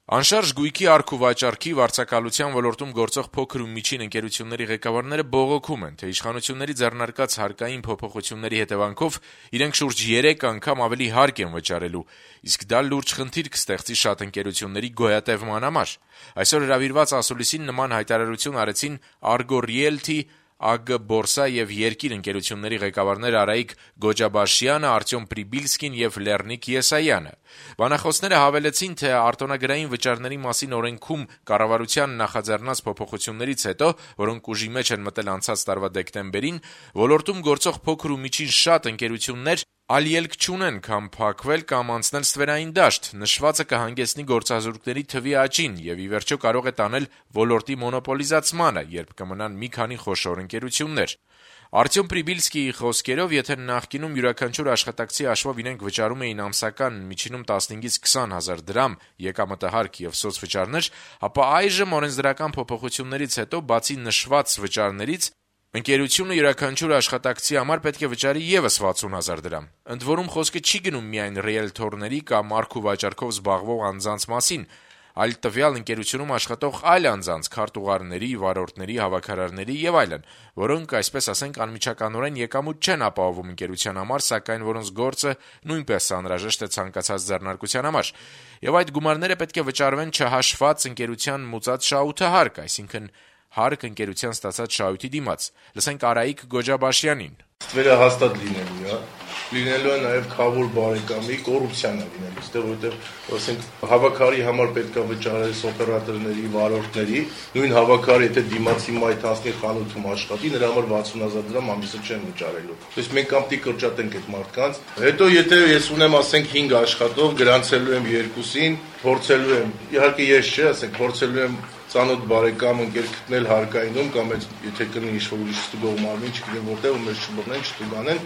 Անշարժ գույքի առք ու վաճառքի վարձակալության ոլորտում գործող փոքր ու միջին ընկերությունների ղեկավարները բողոքում են, թե իշխանությունների ձեռնարկած հարկային փոփոխությունների հետևանքով իրենք շուրջ 3 անգամ ավելի հարկ են վճարելու, իսկ դա լուրջ խնդիր կստեղծի շատ ընկերությունների գոյատևման համար։ Այսօր հրավիրված ասուլիսին նման հայտարարություն արեցին Argo Realty, ԱԳ Բորսա եւ Երկիր ընկերությունների ղեկավարներ Արայիկ Գոջաբաշյանը, Արտյոմ Պրիբիլսկին եւ Լեռնիկ Եսայանը։ Բանախոսները հավելեցին, թե արտոնագրային վճարների մասին օրենքում կառավարության նախաձեռնած փոփոխություններից հետո, որոնք ուժի մեջ են մտել անցած տարվա դեկտեմբերին, ոլորտում գործող փոքր ու միջին շատ ընկերություններ այլ ելք չունեն, քան փակվել կամ անցնել ստվերային դաշտ։ Նշվածը կհանգեցնի գործազուրկների թվի աճին եւ ի վերջո կարող է տանել ոլորտի մոնոպոլիզացմանը, երբ կմնան մի քանի խոշոր ընկերություններ։ Արտյոմ Պրիբիլսկիի խոսքերով, եթե նախկինում յուրաքանչյուր աշխատակցի հաշվով իրենք վճարում էին ամսական միջինում 15-ից 20 հազար դրամ եկամտահարկ եւ սոցվճարներ, ապա այժմ օրենսդրական փոփոխություններից հետո, բացի նշված վճարներից, ընկերությունը յուրաքանչյուր աշխատակցի համար պետք է վճարի եւս 60 հազար դրամ։ Ընդ որում խոսքը չի գնում միայն ռիելթորների կամ առք ու վաճառքով զբաղվող անձանց մասին, այլ տվյալ ընկերությունում աշխատող այլ անձանց, քարտուղարների, վարորդների, հավաքարարների եւ այլն, որոնք, այսպես ասենք, անմիջականորեն եկամուտ չեն ապահովում ընկերության համար, սակայն որոնց գործը նույնպես անհրաժեշտ է ցանկացած ձեռնարկության համար։ Եվ այդ գումարները պետք է վճարվեն չհաշված ընկերության մուծած շահութահարկ, այսինքն հարկ ընկերության ստացած շահույթի դիմաց։ Լսենք Արայիկ Գոջաբաշյանին։ Ստվերը հաստատ լինելու է, լինելու է նաև քավոր բարեկամի կոռուպցիան է լինելու, որովհետև ասենք հավաքարի համար պետք է վճարել օպերատորների, վարորդների, նույն հավաքարը եթե դիմացի մայթ հասնի խանութում աշխատի, նրա համար 60 հազար դրամ ամիսը չեն վճարելու։ Իսկ մենք կամտի կրճատենք այդ մարդկանց։ Հետո եթե ես ունեմ ասենք 5 աշխատող, գրանցելու եմ 2-ին, փորձելու եմ, իհարկե ես չէ, ասենք փորձելու եմ ծանոթ բարեկամ ընկեր գտնել հարկայինում կամ եթե կնի ինչ-որ ուրիշ ստուգող մարմին, չգիտեմ որտեղ ու մեզ չբռնեն, չտուգանեն,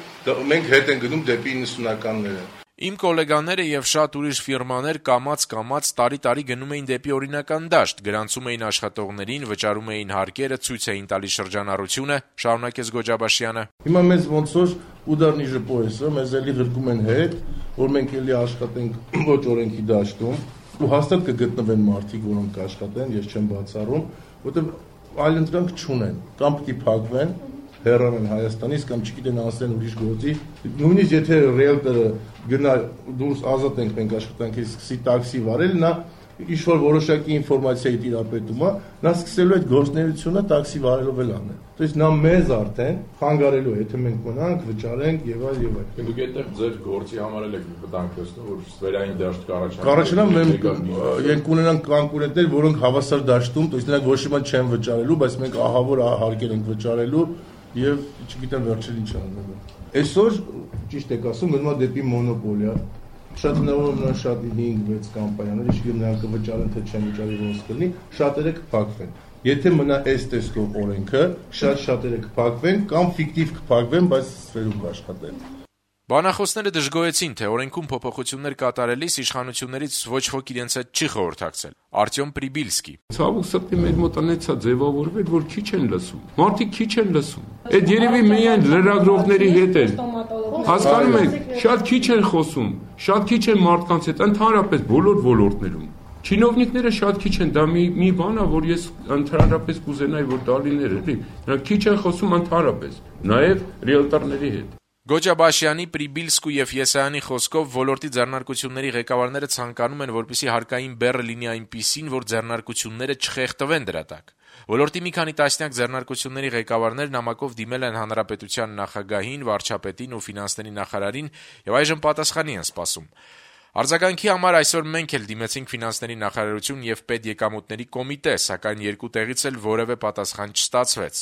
մենք հետ են գնում դեպի 90-ականները։ Իմ գոլեգաները եւ շատ ուրիշ ֆիրմաներ կամաց տարի գնում էին դեպի օրինական դաշտ, գրանցում էին աշխատողներին, վճարում էին հարկերը, ցույց էին տալիս շրջանառությունը, շարունակեց Գոջաբաշյանը։ Հիմա մեզ ոնց որ ուդարնի ժպոյեսը, մեզ էլի ղրկում են հետ, որ մենք էլի աշխատենք ոչ օրենքի դաշտում, ու հաստատ կգտնվեն մարդիկ, որոնք կաշխատեն, ես չեմ բացառում, որովհետև այլ ընտրանք չունեն, կամ պիտի փակվեն, հեռանան Հայաստանից կամ չգիտեն անցնեն ուրիշ գործի, նույնիսկ եթե ռիելտորը գնա դուրս ազատ ենք մենք աշխատանքից սկսի տաքսի վարել, նա ինչ-որ որոշակի ինֆորմացիայի տիրապետում է, նա սկսելու այդ գործունեությունը տաքսի վարելով էլ անել։ То есть նա մեզ արդեն խանգարելու է, եթե մենք մնանք, վճարենք եւ այլ եւ այլ։ Դուք այդտեղ ձեր գործի համար էլ եք վտանգ տեսնում, որ ստվերային դաշտ կառաջանա, մենք ունենանք կոնկուրենտներ, որոնք հավասար դաշտում, то есть նրանք ոչ մի բան չեն վճարելու, բայց մենք ահավոր հարկեր ենք վճարելու եւ չգիտեմ վերջին ինչ անելու։ Այսօր ճիշտ եք ասում, մնում է դեպի մոնոպոլիա։ Շատ հնարավոր է շատ 5-6 կամպանիաներ, իշխում նրանք կվճարեն, թե չեն վճարի ոնց կլինի, շատերը կփակվեն։ Եթե մնա այս տեսքով օրենքը, շատերը կփակվեն կամ ֆիկտիվ կփակվեն, բայց սферում կաշխատեն։ Բանախոսները դժգոհեցին, թե օրենքում փոփոխություններ կատարելիս իշխանություններից ոչ ոք իրենց հետ չի խորհրդակցել։ Արտյոմ Պրիբիլսկի։ Ցավոք սրտի մեր մոտ անեցա ձևավորվել, որ քիչ են լսում։ Մարդիկ քիչ են լսում։ Այդ երևի միայն լրագրողների հետ են։ Հասկանում եք, շատ քիչ են խոսում, շատ քիչ են մարդկանց հետ, ընդհանրապես բոլոր ոլորտներում։ Չինովնիկները շատ քիչ են, դա մի բան է, որ ես ընդհանրապես կուզենայի, որ դա լիներ, էլի։ Նրանք քիչ են խոսում ընդհանրապես, նաև ռիելտորների հետ։ Գոջաբաշյանի, Պրիբիլսկու եւ Եսայանի խոսքով ոլորտի ձեռնարկությունների ղեկավարները ցանկանում են, որպեսզի հարկային բեռը լինի այնպիսին, որ ձեռնարկությունները չխեղդվեն դրա տակ։ Ոլորտի մի քանի տասնյակ ձեռնարկությունների ղեկավարներ նամակով դիմել են հանրապետության նախագահին, վարչապետին ու ֆինանսների նախարարին եւ այժմ պատասխանի են սպասում։ Արձագանքի համար այսօր մենք էլ դիմեցինք ֆինանսների նախարարություն եւ պետեկամուտների կոմիտե, սակայն երկու տեղից էլ որևէ պատասխան չստացվեց։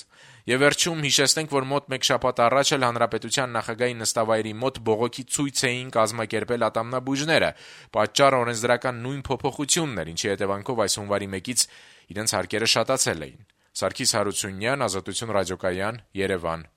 Եվ վերջում հիշեցնենք, որ մոտ 1 շաբաթ առաջ էլ հանրապետության նախագահի նստավայրի մոտ բողոքի ցույց էին կազմակերպել ատամնաբույժները, պատճառը օրենսդրական նույն փոփոխությունն էր, ինչի հետևանքով այս հունվարի 1-ից իրենց հարկերը շատացել էին։ Սարգիս Հարությունյան, Ազատություն ռադիոկայան, Երևան։